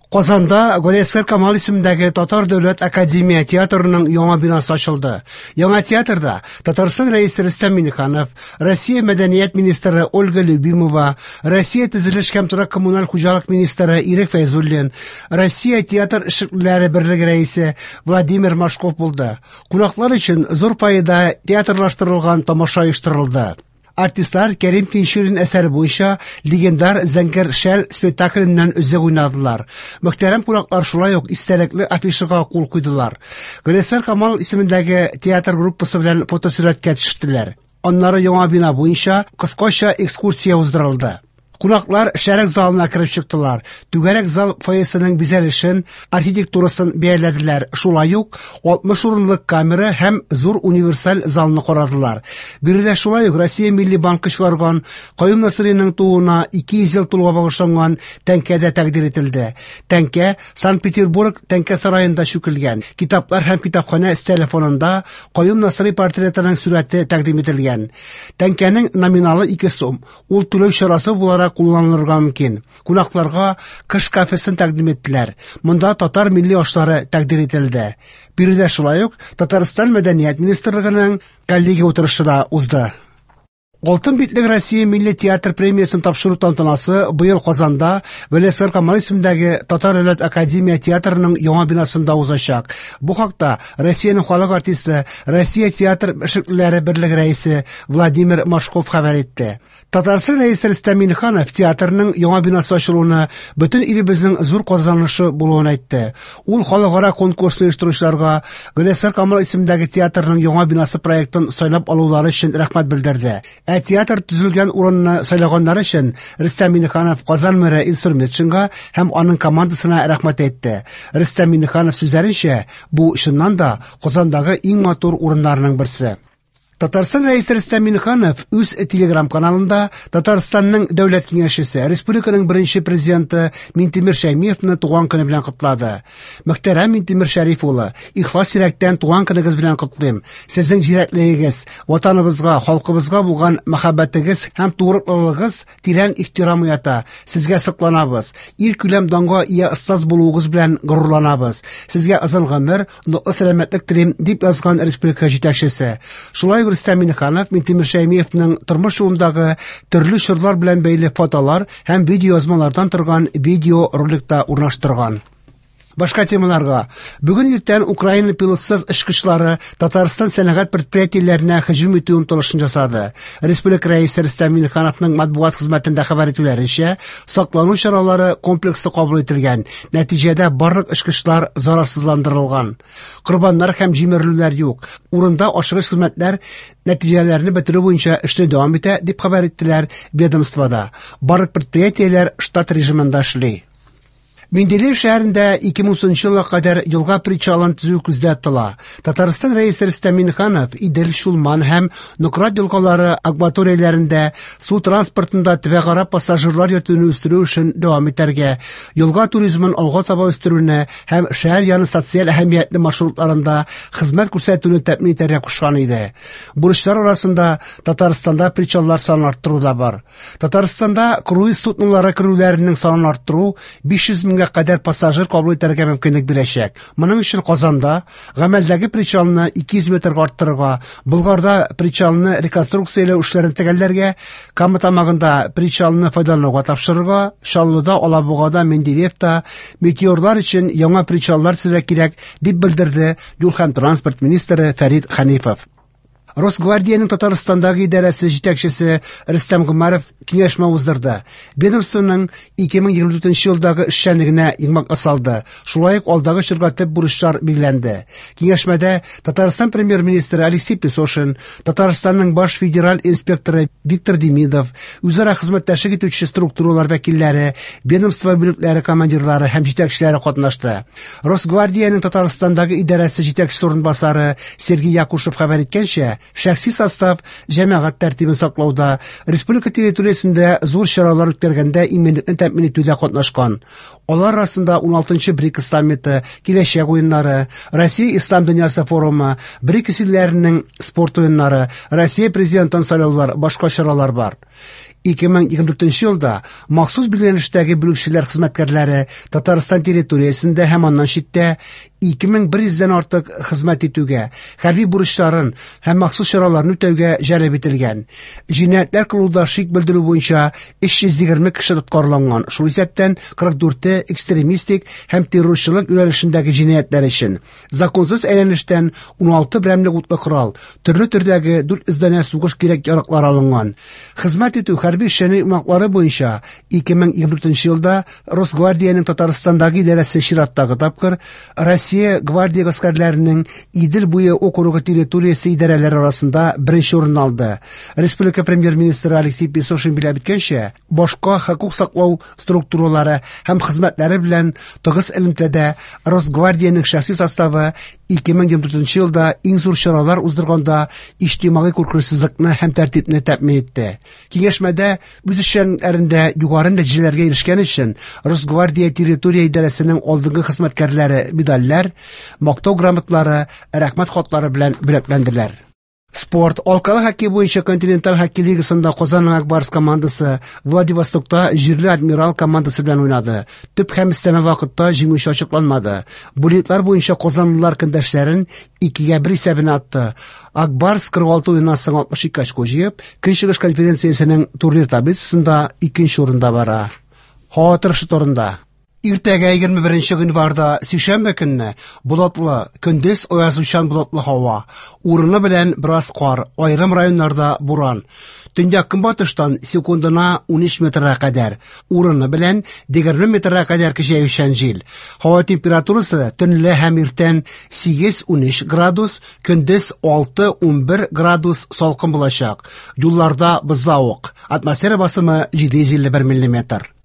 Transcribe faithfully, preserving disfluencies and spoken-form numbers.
Казанда Галиәсгар Камал исемендәге Татар дәүләт академия театрының яңа бинасы ачылды. Яңа театрда Татарстан Рәисе Рөстәм Миңнеханов, Россия мәдәният министры Ольга Любимова, Россия төзелеш һәм торак коммуналь хуҗалык министры Ирек Фәйзуллин, Россия театр эшлеклеләре берлеге рәисе Владимир Машков булды. Кунаклар өчен зур фойеда театрлаштырылган тамаша оештырылды. Артистлар Кәрим Тинчурин әсәре буенча легендар Зәңгәр шәл спектакленнән өзек уйнадылар. Мөхтәрәм кунаклар шулай ук истәлекле афишага кул куйдылар. Галиәсгар Камал исемендәге театр группасы белән фотосурәткә төштеләр. Аннары яңа бина буенча кыскача экскурсия уздырылды. Кунаклар шәрык залына кереп чыктылар. Түгәрәк зал фойесының бизәлешен, архитектурасын бәяләделәр. Шулай ук алтмыш урынлык камера һәм зур универсаль залны карадылар. Биредә шулай ук Россия Милли банкы чыгарган Каюм Насыйриның тууына ике йөз ел тулуга багышланган тәңкә дә тәкъдир ителде. Тәңкә Санкт-Петербург тәңкә сараенда чүкелгән. Китаплар һәм китапханә өстәле фонында Каюм Насыйри портретының сурәте тәкъдим ителгән. Тәңкәнең номиналы ике сум. Ул түләү чарасы буларак кулланылырга мөмкин. Кунакларга кыш кафесын тәкъдим иттеләр. Монда татар милли ашлары тәкъдир ителде. Биредә шулай ук Татарстан Мәдәният министрлыгының коллегия утырышы да узды. Алтын битлек Россия Милли театр премиясен тапшыру тантанасы быел Казанда Галиәсгар Камал исемендәге Татар дәүләт академия театрының яңа бинасында узачак. Бу хакта Россиянең халык артисты, Россия театр эшлеклеләре берлеге рәисе Владимир Машков хәбәр итте. Татарстан Рәисе Рөстәм Миңнеханов театрның яңа бинасы ачылуына бөтен илебезнең зур казанышы булуын әйтте. Ул халыкара конкурсны оештыручыларга Галиәсгар Камал исемендәге театрның яңа бинасы проектын сайлап алулары өчен рәхмәт белдерде. Ә театр төзелгән урынны сайлаганнары өчен Рөстәм Миңнеханов Казан мэры Илсур Метшинга һәм аның командасына рәхмәт әйтте. Рөстәм Миңнеханов сүзләренчә, бу чыннан да Казандагы иң матур урыннарның берсе. Татарстан Рәисе Рөстәм Миңнеханов үз телеграм-каналында Татарстанның дәүләт киңәшчесе, республиканың беренче президенты Минтимер Шәймиевны туган көне белән котлады. Мөхтәрәм Минтимер Шәриф улы, ихлас йөрәктән туган көнегез белән котлыйм. Сезнең зирәклегегез, ватаныбызга, халкыбызга булган мәхәббәтегез һәм тугрылыгыгыз тирән ихтирам уята. Сезгә сокланабыз. Ил күләм данга ия остаз булуыгыз белән горурланабыз. Сезгә озын гомер, ныклы сәламәтлек телим, дип язган республика җитәкчесе. Шулай ук Рөстәм Миңнеханов Минтимер Шәймиевның тормыш юлындагы төрле чорлар белән бәйле фотолар һәм видеоязмалардан торган видеороликта урнаштырган. Башка темаларга. Бүген иртән Украина пилотсыз очкычлары Татарстан сәнәгать предприятиеләренә һөҗүм итү омтылышын ясады. Республика Рәисе Рөстәм Миңнехановның матбугат хезмәтендә хәбәр итүләренчә, саклану чаралары комплексы кабул ителгән. Нәтиҗәдә барлык очкычлар зарарсызландырылган. Корбаннар һәм җимерелүләр юк. Урында ашыгыч хезмәтләр нәтиҗәләрне бетерү буенча эшне дәвам итә, дип хәбәр иттеләр ведомствода. Барлык предприятиеләр штат режимында эшли. Менделеев шәһәрендә ике мең унынчы елга кадәр елга причалын төзү күздә тотыла. Татарстан Рәисе Рөстәм Миңнеханов Идел, Чулман һәм Нократ елгалары акваторияләрендә су транспортында төбәкара пассажирлар йөртүне үстерү эшен дәвам итәргә, елга туризмын алга таба үстерүне һәм шәһәр яны социаль әһәмиятле маршрутларында хезмәт күрсәтүне тәэмин итәргә кушкан иде. Бурычлар арасында Татарстанда причаллар санын арттыру да бар. Татарстанда круиз суднолары керүләренең санын арттыру биш йөз меңгә кадәр пассажир кабул итәргә мөмкинлек бирәчәк. Моның өчен Казанда гамәлдәге причалны ике йөз метрга арттырырга, Болгарда причалны реконструкцияләү эшләрен төгәлләргә, Кама тамагында причалны файдалануга тапшырырга, Чаллыда, Алабугада, Менделеевта метеорлар өчен яңа причаллар төзергә кирәк, дип белдерде юл һәм транспорт министры Фәрит Хәнифов. Росгвардиянең Татарстандагы идарәсе җитәкчесе Рөстәм Гомәров киңәшмә уздырды. Ведомствоның ике мең егерме дүртенче елдагы эшчәнлегенә йомгак ясалды. Шулай ук алдагы чорга төп бурычлар билгеләнде. Киңәшмәдә Татарстан премьер-министры Алексей Песошин, Татарстанның баш федераль инспекторы Виктор Демидов, үзара хезмәттәшлек итүче структуралар вәкилләре, ведомство бүлекләре командирлары һәм җитәкчеләре катнашты. Росгвардиянең Татарстандагы идарәсе җитәкчесе урынбасары Сергей Якушев хәбәр иткәнчә, шәхси состав җәмәгать тәртибен саклауда, республика территориясендә зур чаралар үткәргәндә иминлекне тәэмин итүдә катнашкан. Алар арасында уналтынчы БРИКС саммиты, киләчәк уеннары, Россия Ислам дөньясы форумы, БРИКС илләренең спорт уеннары, Россия президентын сайлаулар, башка чаралар бар. ике мең егерме дүртенче елда махсус билгеләнештәге бүлекчәләр хезмәткәрләре Татарстан территориясендә һәм аннан читтә ике мең бер йөздән артык хезмәт итүгә, хәрби бурычларын һәм махсус чараларны үтәүгә җәлеп ителгән. Җинаятьләр кылуда шик белдерү буенча өч йөз егерме кеше тоткарланган, шул исәптән кырык дүрте экстремистик һәм террорчылык юнәлешендәге җинаятьләр өчен. Законсыз әйләнештән уналты берәмлек утлы корал, төрле төрдәге дүрт йөз данә сугыш кирәк-яраклары алынган. Хезмәт итү хәрби эшчәнлек йомгаклары буенча ике мең егерме дүртенче елда Росгвардиянең Татарстандагы идарәсе чираттагы тапкыр Россия гвардия гаскәрләренең Идел буе округы территориясе идарәләре арасында беренче урын алды. Республика премьер-министры Алексей Песошин билгеләп үткәнчә, башка хокук саклау структуралары һәм хезмәтләре белән тыгыз элемтәдә Росгвардиянең шәхси составы ике мең егерме дүртенче елда иң зур чаралар уздырганда иҗтимагый куркынычсызлыкны һәм тәртипне тәэмин итте. Киңәшмәдә үз эшчәнлекләрендә югары нәтиҗәләргә ирешкән өчен Росгвардия территория идарәсенең алдынгы хезмәткәрләре медальләр, мактау грамоталары, рәхмәт хатлары белән бүләкләнделәр. Спорт. Алкалы хоккей буенча континенталь хоккей лигасында Казанның Ак Барс командасы Владивостокта җирле Адмирал командасы белән уйнады. Төп һәм өстәмә вакытта җиңүче ачыкланмады. Буллитлар буенча казанлылар көндәшләрен икегә бер исәбенә атты. Ак Барс кырык алты уеннан соң алтмыш ике очко җыеп, Көнчыгыш конференциясенең турнир таблицасында икенче урында бара. Һава торышы турында. Иртәгә егерме беренче гыйнварда сишәмбе көнне болытлы, көндез аязучан болытлы һава, урыны белән бераз кар, аерым районнарда буран. Төньяк көнбатыштан секундына унөч метрга кадәр, урыны белән егерме метрга кадәр көчәючән җил. Һава температурасы төнлә һәм иртән сигез унөч градус, көндез алты унбер градус салкын булачак. Юлларда бозлавык. Атмосфера басымы җиде йөз илле бер миллиметр.